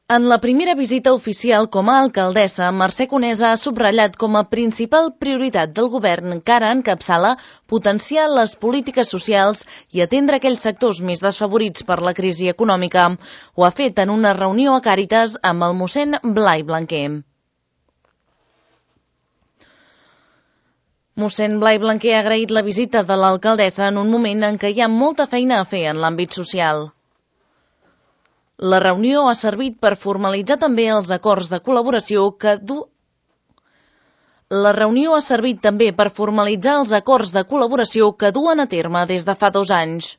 En la primera visita oficial com a alcaldessa, Mercè Conesa ha subratllat com a principal prioritat del govern encara encapçala potenciar les polítiques socials i atendre aquells sectors més desfavorits per la crisi econòmica. Ho ha fet en una reunió a Càritas amb el mossèn Blai Blanquer. Mossèn Blai Blanquer ha agraït la visita de l'alcaldessa en un moment en què hi ha molta feina a fer en l'àmbit social. La reunió ha servit per formalitzar també els acords de col·laboració que duen a terme des de fa 2 anys.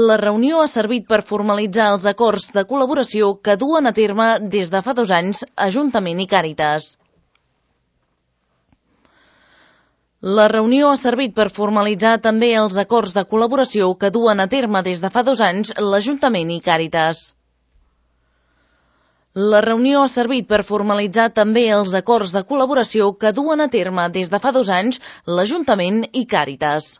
La reunió ha servit per formalitzar els acords de col·laboració que duen a terme des de fa 2 anys Ajuntament i Càritas. La reunió ha servit per formalitzar també els acords de col·laboració que duen a terme des de fa 2 anys l'Ajuntament i Càritas. La reunió ha servit per formalitzar també els acords de col·laboració que duen a terme des de fa 2 anys l'Ajuntament i Càritas.